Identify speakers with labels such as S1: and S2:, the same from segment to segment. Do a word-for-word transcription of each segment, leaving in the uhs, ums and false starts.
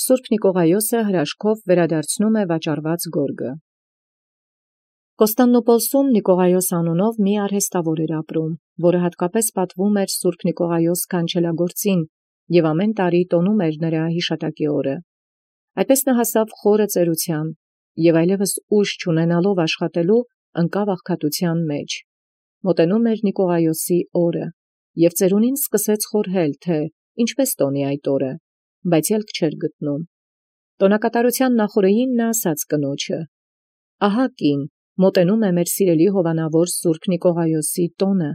S1: Սուրբ Նիկողայոսը հրաշքով վերադարձնում է վաճառված գորգը։ Կոստանդնուպոլսում Նիկողայոս անունով մի արհեստավոր էր ապրում, որը հատկապես պատվում էր Սուրբ Նիկողայոս քանչելագործին և ամեն տարի տոնում էր նրա հիշատակի օրը։ Այդպես նա հասավ խորը ծերության և այլևս ուժ չունենալով աշխատելու, ընկավ աղքատության մեջ։ Մոտենում էր Նիկողայոսի օրը, և ծերունին սկսեց խորհել, թե ինչպես տոնի այդ օրը, բայց ելք չէր գտնում։ Տոնակատարության նախօրեին նա ասաց կնոջը. «Ահա կին, մոտենում է մեր սիրելի հովանավոր Սուրբ Նիկողայոսի տոնը,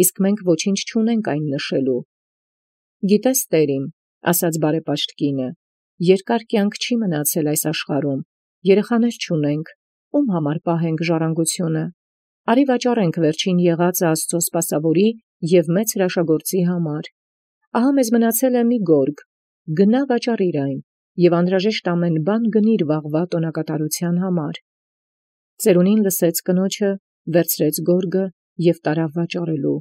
S1: իսկ մենք ոչինչ չունենք այն նշելու»։ «Գիտես, տեր իմ, ասաց բարեպաշտ կինը, երկար կյանք չի մնացել այս աշխարհում, երեխաներ չունենք, ում համար պահենք ժառանգությունը։ Արի վաճառենք վերջին եղածը Աստծո սպասավորի և մեծ հրաշագործի համար։ Ահա մեզ մնացել է մի գորգ, գնա վաճառիր այն և անհրաժեշտ ամեն բան գնիր վաղվա տոնակատարության համար»։ Ծերունին լսեց կնոջը, վերցրեց գորգը և տարավ վաճառելու։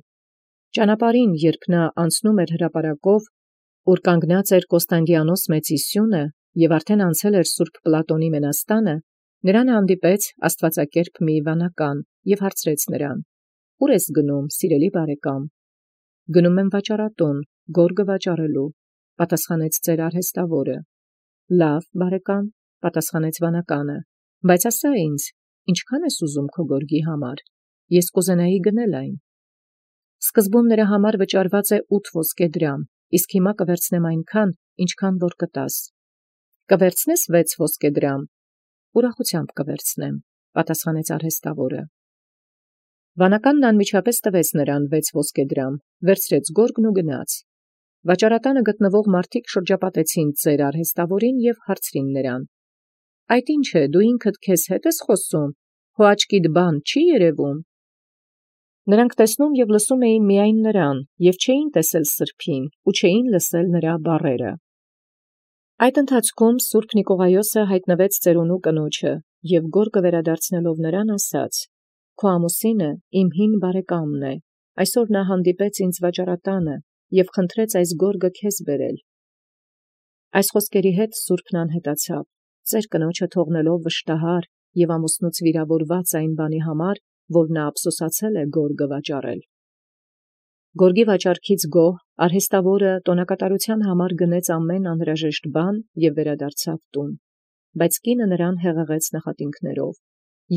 S1: Ճանապարհին, երբ նա անցնում էր հրապարակով, ուր կանգնած էր Կոստանդիանոս մեծի սյունը և արդեն անցել էր Սուրբ Պլատոնի մենաստանը, նրան հանդիպեց աստվածակերպ մի վանական և հարցրեց նրան. «Ուր ես գնում, սիրելի բարեկամ»։ «Գնում եմ վաճառատուն, գորգը վաճառելու», պատասխանեց ծեր արհեստավորը։ «Լավ, բարեկամ», պատասխանեց վանականը, «բայց ասա ինձ, ինչքան ես ուզում քո գորգի համար, ես կուզենայի գնել այն»։ «Սկզբում նրա համար վճարված է ութ ոսկե դրամ, իսկ հիմա կվերցնեմ այնքան, ինչքան որ կտաս»։ «Կվերցնես վեց ոսկե դրամ»։ «Ուրախությամբ կվերցնեմ», պատասխանեց արհեստավորը։ Վանականն անմիջապես տվեց նրան վեց ոսկե դրամ, վերցրեց գորգն ու գնաց։ Վաճառատանը գտնվող մարդիկ շրջապատեցին ծեր արհեստավորին և հարցրին նրան. «Այդ ի՞նչ է, դու ինքդ քեզ հետ ես խոսում, քո աչքիդ բան չի երևում»։ Նրանք տեսնում և լսում էին միայն նրան և չէին տեսել սրբին ու չէին լսել նրա բառերը։ Այդ ընթացքում Սուրբ Նիկողայոսը հայտնվեց ծերունու կնոջը և գորգը վերադարձնելով նրան ասաց. «Քո ամուսինը իմ հին բարեկամն է, այսօր նա հանդիպեց ինձ վաճառատանը և խնդրեց այս գորգը քեզ բերել»։ Այս խոսքերի հետ սուրբն անհետացավ, ծեր կնոջը թողնելով վշտահար և ամուսնուց վիրավորված այն բանի համար, որ նա ափսոսացել է գորգը վաճառել։ Գորգի վաճառքից գոհ արհեստավորը տոնակատարության համար գնեց ամեն անհրաժեշտ բան և վերադարձավ տուն։ Բայց կինը նրան հեղեղեց նախատինքներով.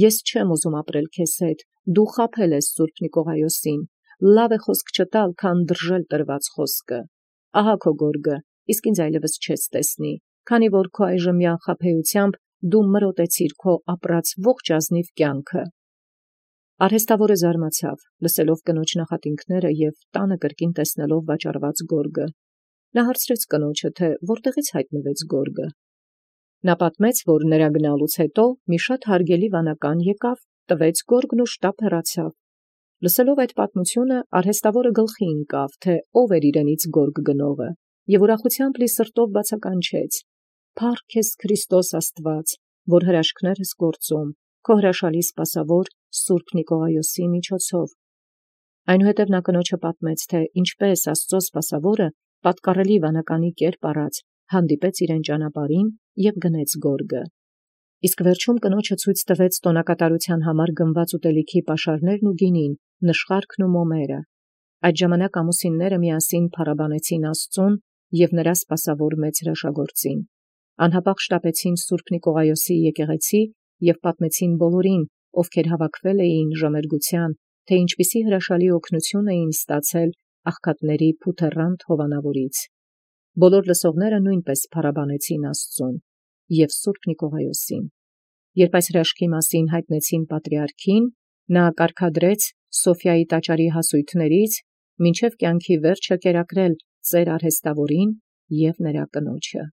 S1: «Ես չեմ ուզում ապրել քեզ հետ, դու խաբել ես Սուրբ Նիկողայոսին, լավ է խոսք չտալ, քան դրժել տրված խոսքը։ Ահա քո գորգը, իսկ ինձ այլևս չես տեսնի, քանի որ քո այժմյան խաբեությամբ դու մրոտեցիր քո ապրած ողջ ազնիվ կյանքը»։ Արհեստավորը զարմացավ, լսելով կնոջ նախատինքները և տանը կրկին տեսնելով վաճառված գորգը։ Նա հարցրեց կնոջը, թե որտեղից հայտնվեց գորգը։ Նա պատմեց, որ նրա գնալուց հետո մի շատ հարգելի վանական եկավ, տվեց գորգն ու շտապ հեռացավ։ Լսելով այդ պատմությունը, արհեստավորը գլխի ընկավ, թե ով էր իրենից գորգ գնողը, և ուրախությամբ լի սրտով բացականչեց. «Փառք քեզ Քրիստոս Աստված, որ հրաշքներ ես գործում քո հրաշալի սպասավոր Սուրբ Նիկողայոսի միջոցով»։ Այնուհետև նա կնոջը պատմեց, թե ինչպես Աստծո սպասավորը պատկառելի վանականի կերպ առած հանդիպեց իրեն ճանապարհին և գնեց գորգը։ Իսկ վերջում կնոջը ցույց տվեց տոնակատարության համար գնված ուտելիքի պաշարներն ու գինին, նշխարքն ու մոմերը։ Այդ ժամանակ ամուսինները միասին փառաբանեցին Աստծուն և նրա սպասավոր մեծ հրաշագործին։ Անհապաղ շտապեցին Սուրբ Նիկողայոսի եկեղեցի և պատմեցին բոլորին, ովքեր հավաքվել էին ժամերգության, թե ինչպիսի հրաշալի օգնություն էին ստացել աղքատների փութեռանդ հովանավորից։ Բոլոր լսողները նույնպես փառաբանեցին Աստծուն և Սուրբ Նիկողայոսին։ Երբ այս հրաշքի մասին հայտնեցին պատրիարքին, նա կարգադրեց Սոֆիայի տաճարի հասույթներից մինչև կյանքի վերջը կերակրել ծեր արհեստավորին և նրա կնոջը։